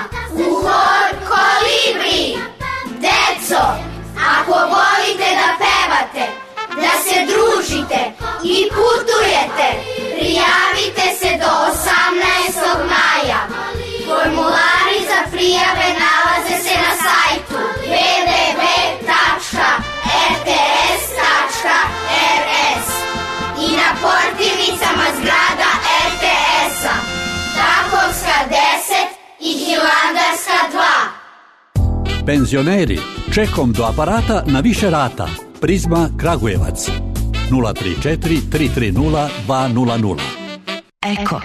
u hor Kolibri. Deco, ako volite da pevate, da se družite i putujete, prijavite se do osamnaestog maja. Formulari za prijave nalaze se na sajtu w w w tačka r t s tačka r s i na portirnicama zgrada er te es-a, Takovska deset i Hilandarska dva. Penzioneri, čekom do aparata na više rata. Prizma Kragujevac nula tri četiri tri tri nula dva nula nula. Eko.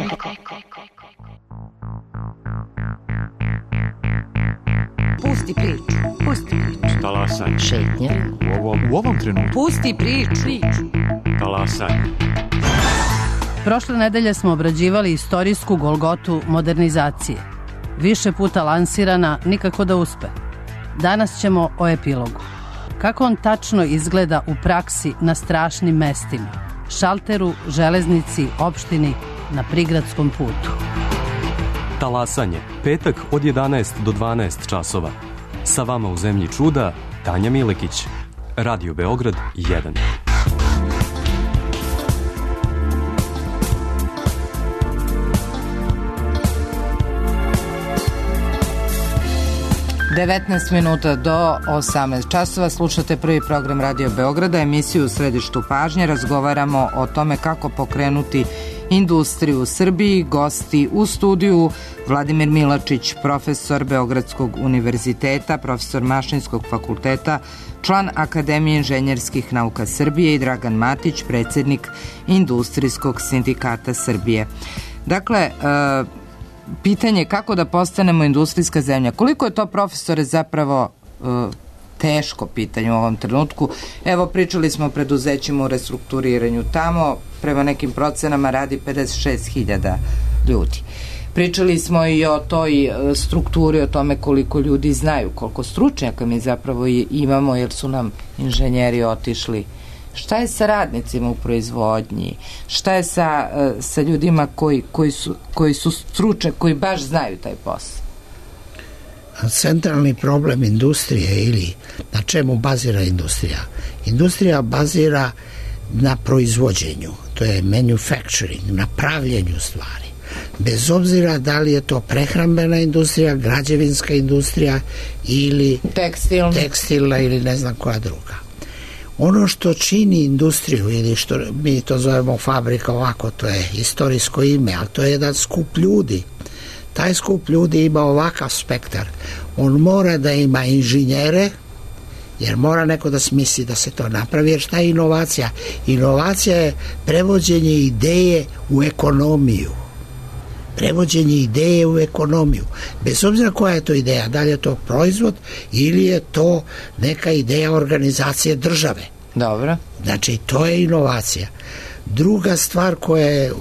Pusti priču, pusti priču. Talasaj. Šetnje. U ovom, u ovom trenutku. Pusti priču. Talasaj. Prošle nedelje smo obrađivali istorijsku golgotu modernizacije. Više puta lansirana, nikako da uspe. Danas ćemo o epilogu. Kako on tačno izgleda u praksi na strašnim mestima, šalteru, železnici, opštini, na prigradskom putu. Talasanje, petak od jedanaest do dvanaest časova. Sa vama u zemlji čuda, Tanja Milekić. Radio Beograd jedan. devetnaest minuta do osamnaest časova. Slušate prvi program Radio Beograda, emisiju u središtu pažnje. Razgovaramo o tome kako pokrenuti industriju u Srbiji. Gosti u studiju: Vladimir Milačić, profesor Beogradskog univerziteta, profesor Mašinskog fakulteta, član Akademije inženjerskih nauka Srbije, i Dragan Matić, predsjednik Industrijskog sindikata Srbije. Dakle, uh, pitanje kako da postanemo industrijska zemlja. Koliko je to, profesore, zapravo uh, teško pitanje u ovom trenutku? Evo, pričali smo o preduzećima u restrukturiranju. Tamo, prema nekim procenama, radi pedeset šest hiljada ljudi. Pričali smo i o toj strukturi, o tome koliko ljudi znaju, koliko stručnjaka mi zapravo imamo, jer su nam inženjeri otišli. Šta je sa radnicima u proizvodnji? Šta je sa, sa ljudima koji, koji, su, koji su stručni, koji baš znaju taj posao? Centralni problem industrije, ili na čemu bazira industrija? Industrija bazira na proizvođenju, to je manufacturing, na pravljenju stvari. Bez obzira da li je to prehrambena industrija, građevinska industrija ili tekstilna, tekstilna ili ne znam koja druga. Ono što čini industriju, ili što mi to zovemo fabrika, ovako, to je istorijsko ime, ali to je jedan skup ljudi. Taj skup ljudi ima ovakav spektar. On mora da ima inženjere, jer mora neko da smisli da se to napravi. Jer šta je inovacija? Inovacija je prevođenje ideje u ekonomiju. Prevođenje ideje u ekonomiju. Bez obzira koja je to ideja, da li je to proizvod ili je to neka ideja organizacije države. Dobro. Znači, to je inovacija. Druga stvar koja je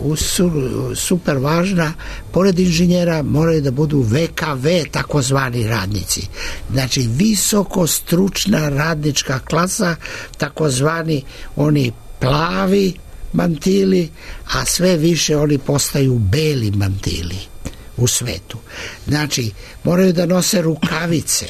super važna, pored inženjera moraju da budu V K V, takozvani radnici. Znači, visoko stručna radnička klasa, takozvani oni plavi mantili, a sve više oni postaju beli mantili u svetu. Znači, moraju da nose rukavice.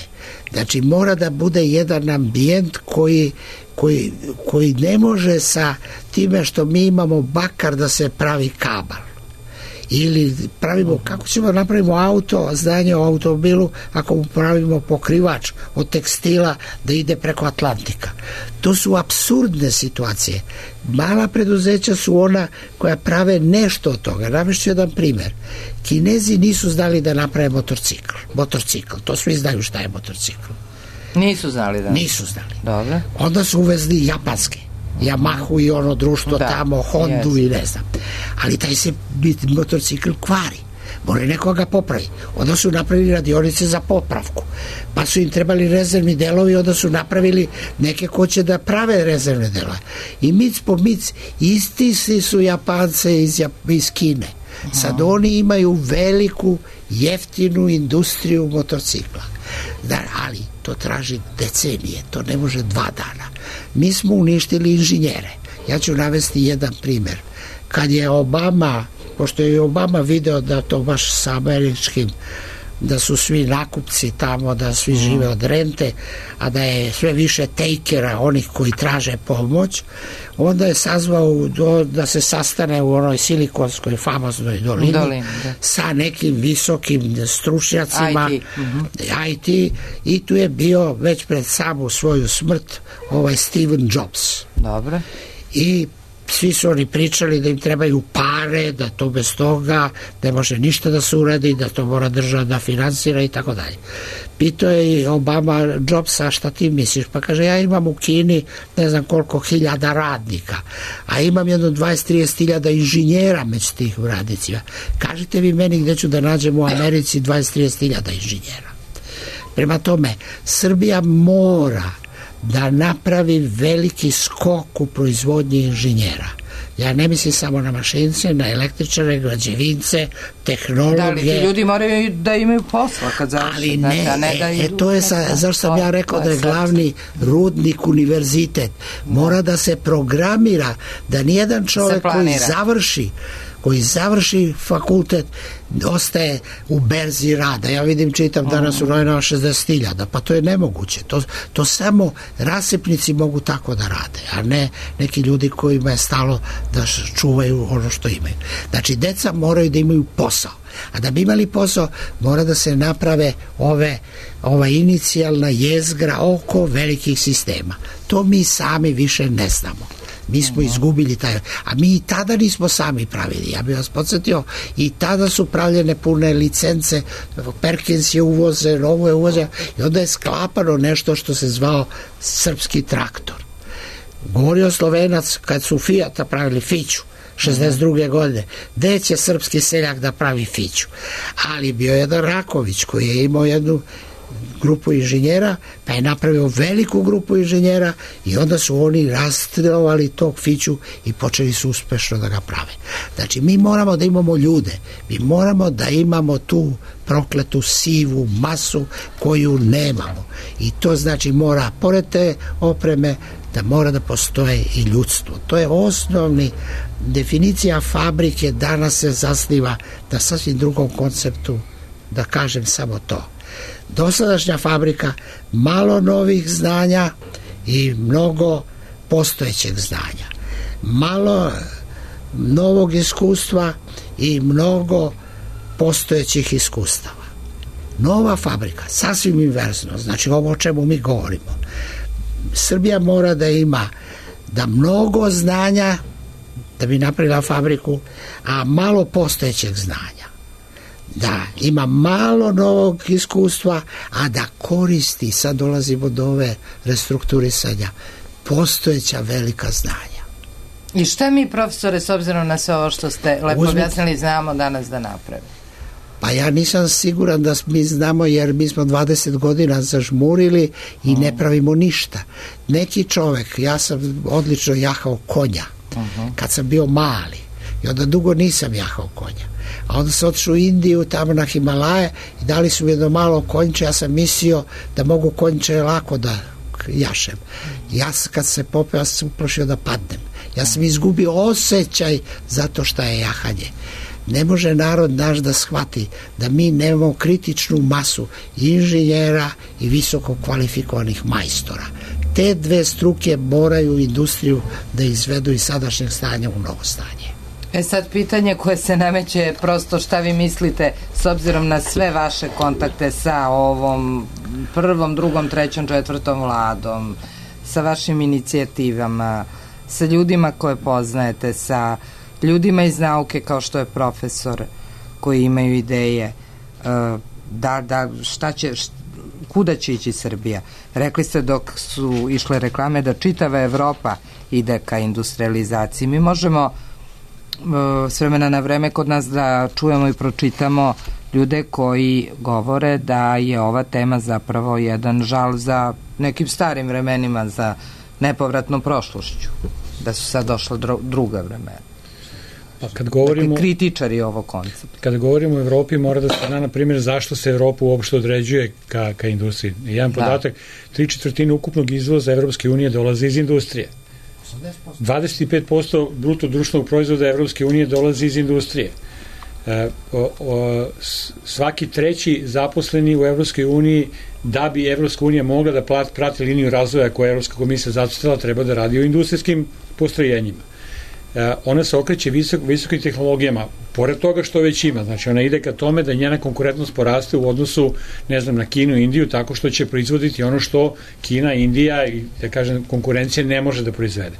Znači, mora da bude jedan ambijent koji, koji, koji ne može sa time što mi imamo bakar da se pravi kabal. Ili pravimo, kako ćemo napravimo auto, znanje o automobilu, ako mu pravimo pokrivač od tekstila da ide preko Atlantika. To su apsurdne situacije. Mala preduzeća su ona koja prave nešto od toga. Navešću jedan primjer. Kinezi nisu znali da naprave motorcikl. Motorcikl, to svi znaju šta je motorcikl. Nisu znali da? Nisu znali. Dobro. Onda su uvezli japanske. Yamahu i ono društvo da, tamo, Hondu yes. i ne znam. Ali taj se motorcikl kvari. Moraju nekoga popravi. Onda su napravili radionice za popravku. Pa su im trebali rezervni delovi, onda su napravili neke ko će da prave rezervne delove. I mic po mic, isti su Japance iz, iz Kine. Sad oni imaju veliku, jeftinu industriju motorcikla. Da, ali to traži decenije, to ne može dva dana. Mi smo uništili inženjere. Ja ću navesti jedan primjer. Kad je Obama, pošto je Obama video da to baš sa američkim, da su svi nakupci tamo, da svi žive od rente, a da je sve više takera, onih koji traže pomoć, onda je sazvao do, da se sastane u onoj silikonskoj famoznoj dolini, Dolin, sa nekim visokim stručnjacima I T. Uh-huh. I T, i tu je bio već pred samu svoju smrt ovaj Steve Jobs. Dobro. I svi su oni pričali da im trebaju pare, da to bez toga ne može ništa da se uradi, da to mora država da finansira i tako dalje. Pitao je i Obama Jobsa, šta ti misliš? Pa kaže, ja imam u Kini ne znam koliko hiljada radnika, a imam jedno dvadeset do trideset hiljada inženjera među tih radnicima. Kažite vi meni gde ću da nađem u Americi dvadeset do trideset hiljada inženjera. Prema tome, Srbija mora da napravi veliki skok u proizvodnji inženjera. Ja ne mislim samo na mašince, na električare, građevince, tehnologe. Da li ti ljudi moraju da imaju posla kad završi? Ali ne, da, ne da e, e, to je sa, zašto sam ja rekao da je glavni rudnik univerzitet. Mora da se programira, da nijedan čovjek koji završi koji završi fakultet ostaje u berzi rada. Ja vidim, čitam danas u novinama šezdeset hiljada, pa to je nemoguće. To, to samo rasipnici mogu tako da rade, a ne neki ljudi kojima je stalo da čuvaju ono što imaju. Znači, deca moraju da imaju posao. A da bi imali posao, mora da se naprave ove, ova inicijalna jezgra oko velikih sistema. To mi sami više ne znamo. Mi smo izgubili taj, a mi i tada nismo sami pravili. Ja bih vas podsjetio, i tada su pravljene pune licence, Perkins je uvoze, Novo je uvoze, i onda je sklapano nešto što se zvao srpski traktor. Govorio Slovenac kad su Fijata pravili Fiću šezdeset druge godine, gde će srpski seljak da pravi Fiću? Ali bio je jedan Raković koji je imao jednu grupu inženjera, pa je napravio veliku grupu inženjera i onda su oni rastrelovali tog Fiću i počeli su uspešno da ga prave. Znači, mi moramo da imamo ljude, mi moramo da imamo tu prokletu sivu masu koju nemamo. I to znači mora, pored te opreme, da mora da postoje i ljudstvo. To je osnovni definicija fabrike, danas se zasniva na sasvim drugom konceptu, da kažem samo to. Dosadašnja fabrika, malo novih znanja i mnogo postojećeg znanja. Malo novog iskustva i mnogo postojećih iskustava. Nova fabrika, sasvim inverzno, znači ovo o čemu mi govorimo. Srbija mora da ima da mnogo znanja da bi napravila fabriku, a malo postojećeg znanja. Da ima malo novog iskustva, a da koristi, sad dolazimo do ove restrukturisanja, postojeća velika znanja. I šta mi, profesore, s obzirom na sve ovo što ste lepo Uzmi... objasnili, znamo danas da napravimo? Pa ja nisam siguran da mi znamo, jer mi smo dvadeset godina zažmurili i ne pravimo ništa. Neki čovek, ja sam odlično jahao konja kad sam bio mali i onda dugo nisam jahao konja. A onda sam otišao u Indiju, tamo na Himalaje i dali su mi jedno malo konjiče, ja sam mislio da mogu konjiče lako da jašem. Ja kad se popeo, ja sam uplašio da padnem. Ja sam izgubio osjećaj zato što je jahanje. Ne može narod naš da shvati da mi nemamo kritičnu masu inženjera i visoko kvalifikovanih majstora. Te dve struke moraju industriju da izvedu iz sadašnjeg stanja u novo stanje. E sad, pitanje koje se nameće, prosto šta vi mislite s obzirom na sve vaše kontakte sa ovom prvom, drugom, trećom, četvrtom vladom, sa vašim inicijativama, sa ljudima koje poznajete, sa ljudima iz nauke kao što je profesor, koji imaju ideje, da, da, šta će, kuda će ići Srbija? Rekli ste dok su išle reklame da čitava Evropa ide ka industrializaciji. Mi možemo s vremena na vreme kod nas da čujemo i pročitamo ljude koji govore da je ova tema zapravo jedan žal za nekim starim vremenima, za nepovratnom prošlošću, da su sad došla druga vremena. Pa kad govorimo, dakle, kritičari ovog koncepta. Kada govorimo o Evropi, mora da se zna, na primjer, zašto se Evropa uopšte određuje ka, ka industriji. Jedan podatak, tri četvrtine ukupnog izvoza Evropske unije dolazi iz industrije. dvadeset pet posto bruto društvenog proizvoda Evropske unije dolazi iz industrije. E, o, o, svaki treći zaposleni u Evropskoj uniji, da bi Evropska unija mogla da plat, prati liniju razvoja koja je Evropska komisija zacrtala, treba da radi o industrijskim postrojenjima. E, ona se okreće visok, visokim tehnologijama, pored toga što već ima. Znači, ona ide ka tome da njena konkurentnost poraste u odnosu, ne znam, na Kinu i Indiju, tako što će proizvoditi ono što Kina, Indija i, da kažem, konkurencija ne može da proizvede.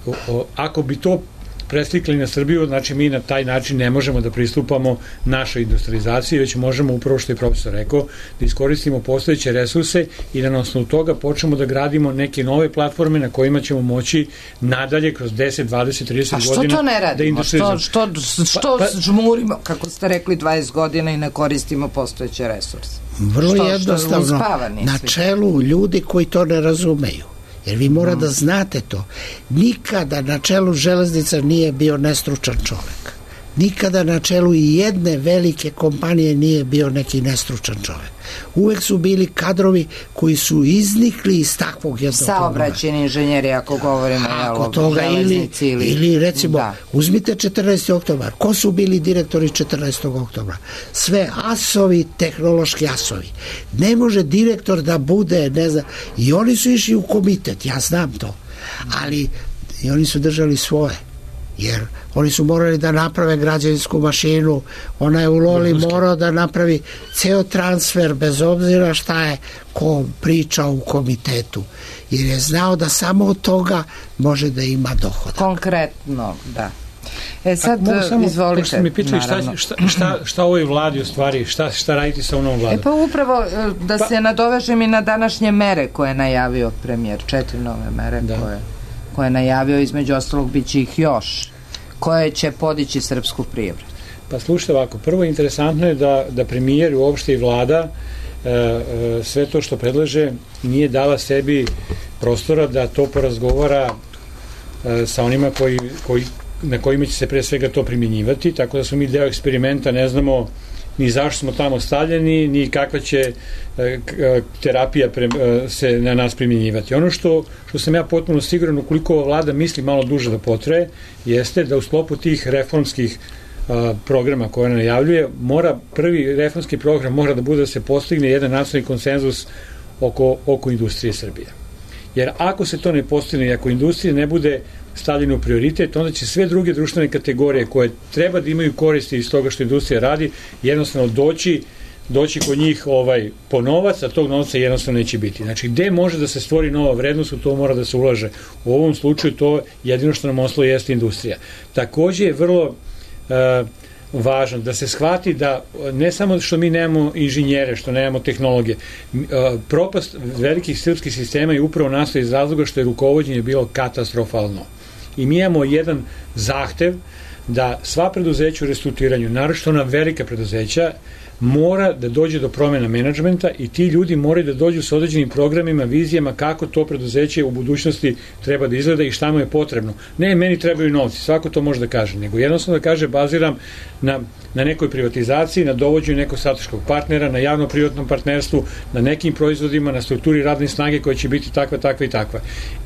O, o, ako bi to preslikli na Srbiju, znači mi na taj način ne možemo da pristupamo našoj industrializaciji, već možemo, upravo što je profesor rekao, da iskoristimo postojeće resurse i da na osnovu toga počnemo da gradimo neke nove platforme na kojima ćemo moći nadalje kroz deset, dvadeset, trideset godina. A što to ne radimo? Da što što, što pa, pa, žmurimo, kako ste rekli, dvadeset godina i ne koristimo postojeće resurse? Vrlo što, jednostavno, što na čelu ljudi koji to ne razumeju. Jer vi mora da znate to. Nikada na čelu železnica nije bio nestručan čovek. Nikada na čelu i jedne velike kompanije nije bio neki nestručan čovek. Uvek su bili kadrovi koji su iznikli iz takvog jednog saobraćajni inženjeri, ako govorimo o železnici. Ili, ili recimo, da. Uzmite četrnaesti oktobar. Ko su bili direktori četrnaestog oktobra? Sve asovi, tehnološki asovi. Ne može direktor da bude, ne znam, i oni su išli u komitet, ja znam to. Ali i oni su držali svoje. Jer oni su morali da naprave građevinsku mašinu, ona je u Loli morao da napravi ceo transfer bez obzira šta je ko pričao u komitetu, jer je znao da samo od toga može da ima dohodak. Konkretno, da. E sad, samo, izvolite. Pošto mi pitali šta, šta, šta, šta ovoj vladi u stvari, šta, šta raditi sa onom vladom? E pa upravo da pa, se nadovežem i na današnje mere koje je najavio premijer, četiri nove mere da. koje, koje je najavio, između ostalog bit će ih još, koje će podići srpsku privredu. Pa slušajte ovako, prvo interesantno je da, da premijer i uopšte i vlada e, e, sve to što predlaže nije dala sebi prostora da to porazgovara e, sa onima koji, koji, na kojima će se pre svega to primjenjivati, tako da smo mi deo eksperimenta, ne znamo ni zašto smo tamo stavljeni, ni kakva će e, terapija pre, e, se na nas primjenjivati. Ono što, što sam ja potpuno siguran, ukoliko ova vlada misli malo duže da potraje, jeste da u sklopu tih reformskih a, programa koje ona najavljuje, mora, prvi reformski program mora da bude da se postigne jedan nacionalni konsenzus oko, oko industrije Srbije. Jer ako se to ne postigne i ako industrija ne bude stavljeno u prioritet, onda će sve druge društvene kategorije koje treba da imaju koristi iz toga što industrija radi, jednostavno doći doći kod njih ovaj, po novac, a tog novca jednostavno neće biti. Znači, gde može da se stvori nova vrednost, u to mora da se ulaže. U ovom slučaju to jedino što nam ostalo jeste industrija. Takođe je vrlo uh, važno da se shvati da ne samo što mi nemamo inženjere, što nemamo tehnologije, uh, propast velikih srpskih sistema je upravo nastoji iz razloga što je rukovođenje bilo katastrofalno. I mi imamo jedan zahtev da sva preduzeća u restrukturiranju, naročito ona velika preduzeća, mora da dođe do promjena menadžmenta i ti ljudi moraju da dođu sa određenim programima, vizijama kako to preduzeće u budućnosti treba da izgleda i šta mu je potrebno. Ne, meni trebaju novci, svako to može da kaže, nego jednostavno da kaže baziram na, na nekoj privatizaciji, na dovođenju nekog strateškog partnera, na javno-privatnom partnerstvu, na nekim proizvodima, na strukturi radne snage koja će biti takva, takva i takva.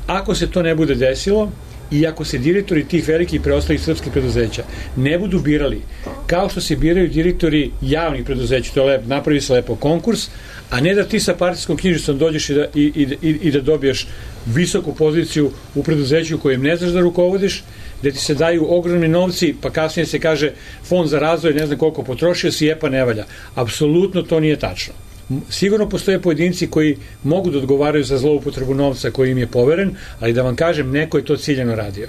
Ako se to ne bude desilo, i ako se direktori tih velikih preostalih srpskih preduzeća ne budu birali kao što se biraju direktori javnih preduzeća, to je lepo, napravi se lepo konkurs, a ne da ti sa partijskom knjižicom dođeš i da, i, i, i da dobiješ visoku poziciju u preduzeću kojem ne znaš da rukovodiš, gde ti se daju ogromni novci, pa kasnije se kaže fond za razvoj, ne znam koliko potrošio si, je pa ne valja. Apsolutno to nije tačno. Sigurno postoje pojedinci koji mogu da odgovaraju za zloupotrebu novca koji im je poveren, ali da vam kažem, neko je to ciljano radio.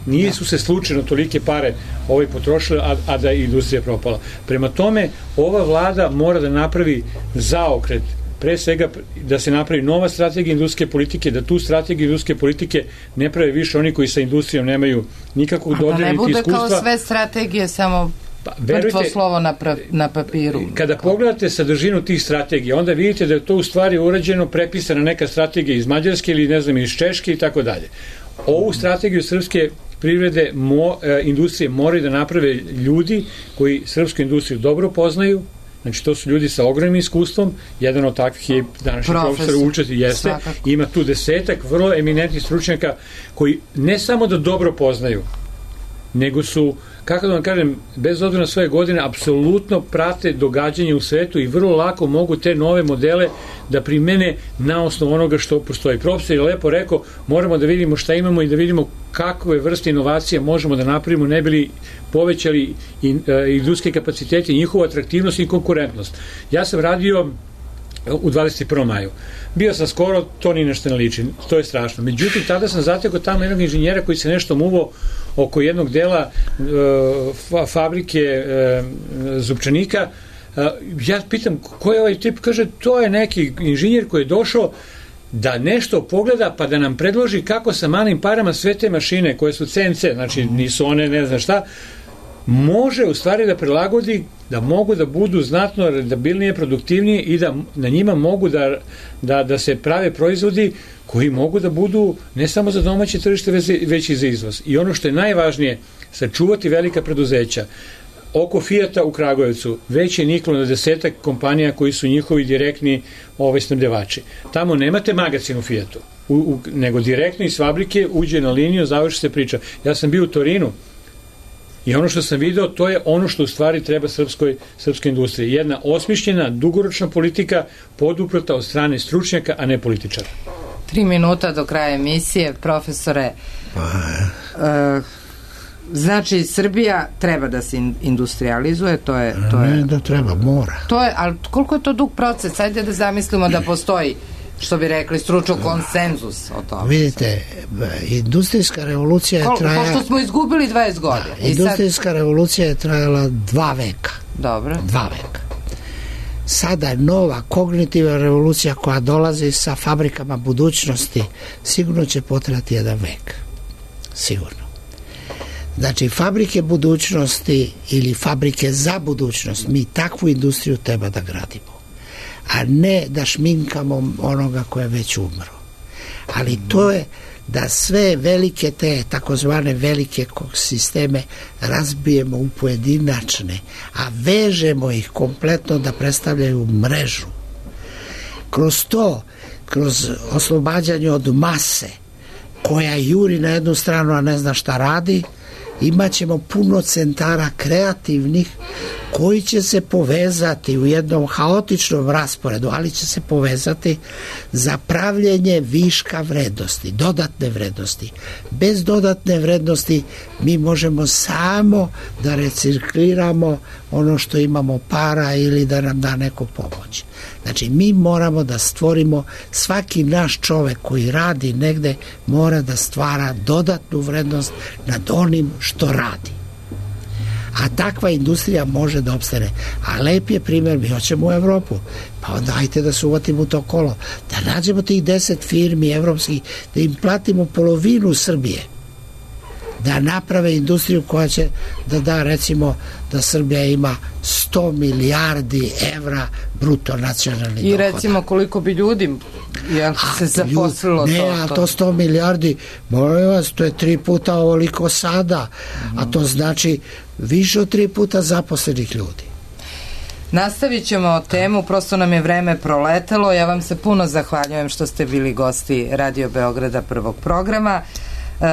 Nije su se slučajno tolike pare ovaj potrošile, a, a da je industrija propala. Prema tome, ova vlada mora da napravi zaokret, pre svega da se napravi nova strategija industrijske politike, da tu strategiju industrijske politike ne prave više oni koji sa industrijom nemaju nikakvog dodira niti iskustva. A da ne bude kao sve strategije samo Pa, verujte, mrtvo slovo na, pra, na papiru. Kada pogledate sadržinu tih strategija, onda vidite da je to u stvari urađeno, prepisana neka strategija iz Mađarske ili ne znam iz Češke i tako dalje. Ovu strategiju srpske privrede, mo, e, industrije moraju da naprave ljudi koji srpsku industriju dobro poznaju. Znači, to su ljudi sa ogromnim iskustvom, jedan od takvih je današnji profesor, profesor Učati jeste, svakako. Ima tu desetak vrlo eminentnih stručnjaka koji ne samo da dobro poznaju, nego su, kako da vam kažem, bez obzira na svoje godine, apsolutno prate događanje u svetu i vrlo lako mogu te nove modele da primene na osnovu onoga što postoji. Profesor je lepo rekao, moramo da vidimo šta imamo i da vidimo kakve vrste inovacija možemo da napravimo, ne bili povećali industrijske kapacitete, njihova atraktivnost i konkurentnost. Ja sam radio u dvadeset prvom maju. Bio sam skoro, to ni nešto ne liči, to je strašno. Međutim, tada sam zatekao tamo jednog inženjera koji se nešto muvao oko jednog dela uh, fabrike uh, zupčanika. Uh, ja pitam, ko je ovaj tip? Kaže, to je neki inženjer koji je došao da nešto pogleda pa da nam predloži kako sa malim parama sve te mašine koje su C N C, znači nisu one ne znam šta, može u stvari da prilagodi da mogu da budu znatno rentabilnije, produktivnije i da na njima mogu da, da, da se prave proizvodi koji mogu da budu ne samo za domaće tržište, već i za izvoz. I ono što je najvažnije, sačuvati velika preduzeća. Oko Fijata u Kragujevcu već je niklo na desetak kompanija koji su njihovi direktni ovaj, snabdevači. Tamo nemate magacin u Fijatu, u, u, nego direktno iz fabrike uđe na liniju, završi se priča. Ja sam bio u Torinu i ono što sam video, to je ono što u stvari treba srpskoj, srpskoj industriji. Jedna osmišljena, dugoročna politika poduprta od strane stručnjaka, a ne političara. Tri minuta do kraja emisije, profesore. Uh, znači, Srbija treba da se industrializuje, to je... To je ne da treba, mora. To je, ali koliko je to dug proces? Ajde da zamislimo da postoji, što bi rekli, stručno konsenzus o tome. Vidite, industrijska revolucija je trajala... Pošto smo izgubili dvadeset godina. Da, industrijska sad... revolucija je trajala dva veka. Dobro. Dva veka. Sada je nova kognitivna revolucija koja dolazi sa fabrikama budućnosti, sigurno će potrajati jedan vek. Sigurno. Znači, fabrike budućnosti ili fabrike za budućnost, mi takvu industriju treba da gradimo, a ne da šminkamo onoga ko je već umro. Ali to je da sve velike te takozvane velike sisteme razbijemo u pojedinačne, a vežemo ih kompletno da predstavljaju mrežu. Kroz to, kroz oslobađanje od mase koja juri na jednu stranu, a ne zna šta radi, imat ćemo puno centara kreativnih koji će se povezati u jednom haotičnom rasporedu, ali će se povezati za pravljenje viška vrednosti, dodatne vrednosti. Bez dodatne vrednosti mi možemo samo da recikliramo ono što imamo para ili da nam da neko pomoć. Znači, mi moramo da stvorimo, svaki naš čovek koji radi negde mora da stvara dodatnu vrednost nad onim što radi. A takva industrija može da opstane. A lep je primjer, mi hoćemo u Evropu, pa onda ajte da se uvatimo u to kolo, da nađemo tih deset firmi evropskih, da im platimo polovinu Srbije, da naprave industriju koja će da da, recimo, da Srbija ima sto milijardi evra bruto nacionalni dohodak. I recimo koliko bi ljudi jel, se zaposlilo ne, to? Ne, a to sto milijardi, molim vas, to je tri puta ovoliko sada, mm. a to znači više od tri puta zaposlenih ljudi. Nastavit ćemo temu, prosto nam je vreme proletelo. Ja vam se puno zahvaljujem što ste bili gosti Radio Beograda prvog programa. E,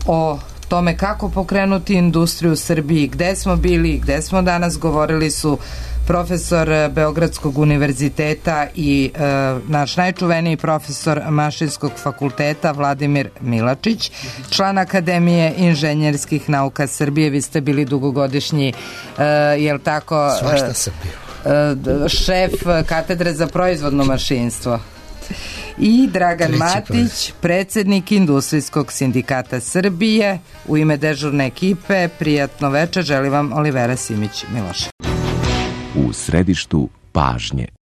o tome kako pokrenuti industriju u Srbiji, gde smo bili, gde smo danas, govorili su profesor Beogradskog univerziteta i e, naš najčuveniji profesor Mašinskog fakulteta Vladimir Milačić, član Akademije inženjerskih nauka Srbije. Vi ste bili dugogodišnji, e, jel tako? Svašta sam bio. E, šef katedre za proizvodno mašinstvo. I Dragan Matić, predsednik Industrijskog sindikata Srbije. U ime dežurne ekipe, prijatno večer, želim vam Olivera Simić Miloš. U središtu pažnje.